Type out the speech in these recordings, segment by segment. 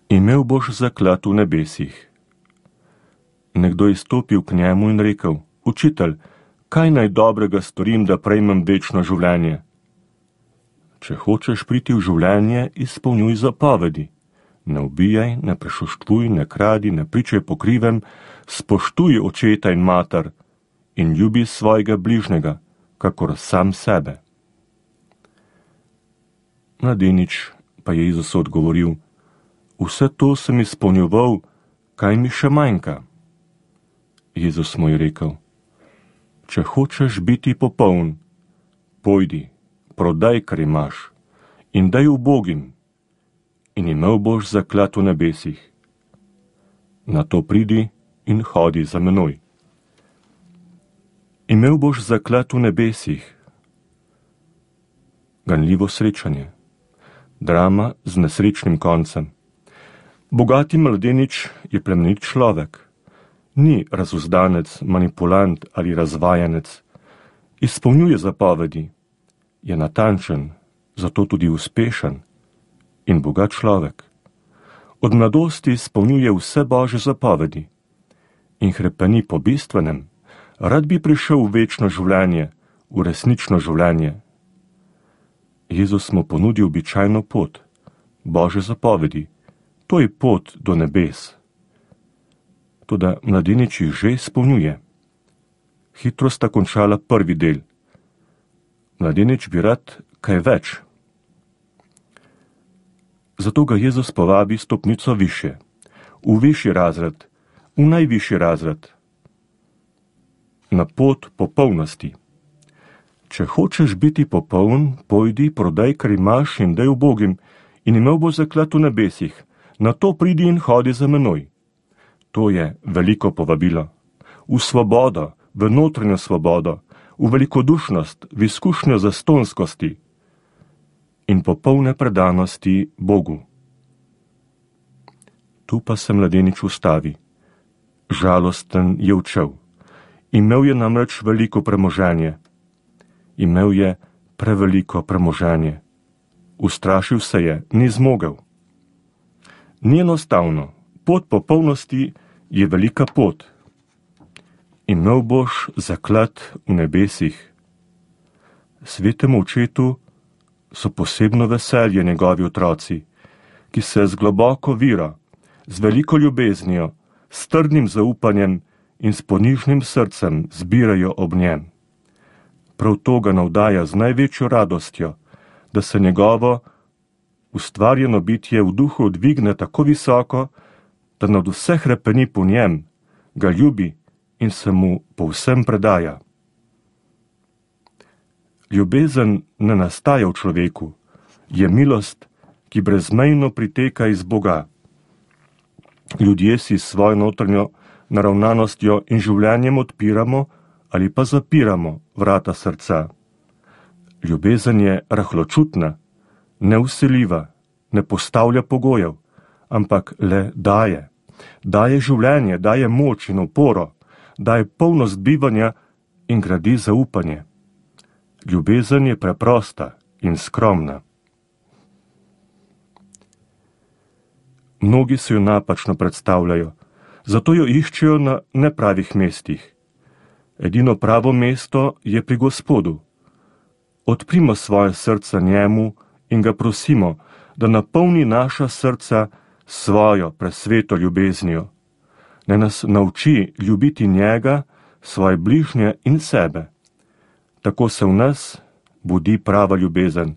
Imel boš zaklad v nebesih. Nekdo je stopil k njemu in rekel: Učitelj, kaj naj dobrega storim, da prejmem večno življenje? Če hočeš priti v življenje, izpolnjuj zapovedi. Ne ubijaj, ne prešuštvuj, ne kradi, ne pričaj po krivem, spoštuj očeta in mater in ljubi svojega bližnjega, kakor sam sebe. Mladenič pa je Jezusu odgovoril: Vse to sem izpolnjeval, kaj mi še manjka? Jezus mu je rekel: Če hočeš biti popoln, pojdi, prodaj, kar imaš, in daj ubogim, in imel boš zaklad v nebesih. Nato pridi in hodi za menoj. Imel boš zaklad v nebesih. Ganljivo srečanje. Drama z nesrečnim koncem. Bogati mladenič je plemenit človek. Ni razuzdanec, manipulant ali razvajanec. Izpolnjuje zapovedi. Je natančen, zato tudi uspešen in bogat človek. Od mladosti izpolnjuje vse Božje zapovedi in hrepeni po bistvenem. Rad bi prišel v večno življenje, v resnično življenje. Jezus mu ponudi običajno pot, Božje zapovedi. To je pot do nebes. Toda mladenič jih že izpolnjuje. Hitro sta končala prvi del. Mladenič bi rad kaj več. Zato ga Jezus povabi stopnico više, v višji razred, v najvišji razred. Na pot popolnosti. Če hočeš biti popoln, pojdi, prodaj, kar imaš, in daj ubogim, in imel bo zaklad v nebesih. Nato pridi in hodi za menoj. To je veliko povabilo. V svobodo, v notranjo svobodo, v velikodušnost, v izkušnjo zastonskosti in popolne predanosti Bogu. Tu pa se mladenič ustavi. Žalosten je odšel. Imel je namreč veliko premoženje. Imel je preveliko premoženje. Ustrašil se je, ni zmogel. Ni enostavno. Pot popolnosti je velika pot. Imel boš zaklad v nebesih. Svetemu očetu so posebno veselje njegovi otroci, ki se z globoko vero, z veliko ljubeznijo, s trdnim zaupanjem in s ponižnim srcem zbirajo ob njem. Prav to ga navdaja z največjo radostjo, da se njegovo ustvarjeno bitje v duhu dvigne tako visoko, da nad vse hrepeni po njem, ga ljubi in se mu povsem predaja. Ljubezen ne nastaja v človeku, je milost, ki brezmejno priteka iz Boga. Ljudje si s svojo notranjo naravnanostjo in življenjem odpiramo ali pa zapiramo vrata srca. Ljubezen je rahločutna, nevsiljiva, ne postavlja pogojev, ampak le daje. Daje življenje, daje moč in oporo, daje polnost bivanja in gradi zaupanje. Ljubezen je preprosta in skromna. Mnogi se jo napačno predstavljajo, zato jo iščejo na nepravih mestih. Edino pravo mesto je pri Gospodu. Odprimo svoje srca njemu in ga prosimo, da napolni naša srca svojo presveto ljubeznijo. Naj nas nauči ljubiti njega, svoje bližnje in sebe. Tako se v nas budi prava ljubezen.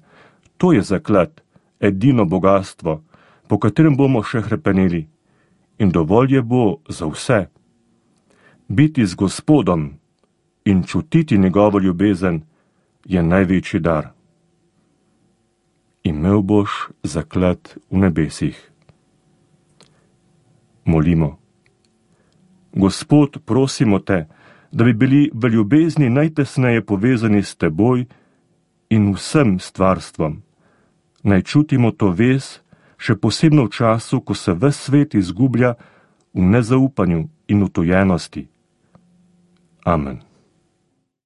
To je zaklad, edino bogastvo, po katerem bomo še hrepeneli. In dovolj je bo za vse. Biti z Gospodom in čutiti njegovo ljubezen je največji dar. Imel boš zaklad v nebesih. Molimo. Gospod, prosimo te, da bi bili v ljubezni najtesneje povezani s teboj in vsem stvarstvom. Naj čutimo to vez, še posebno v času, ko se ves svet izgublja v nezaupanju in utojenosti. Amen.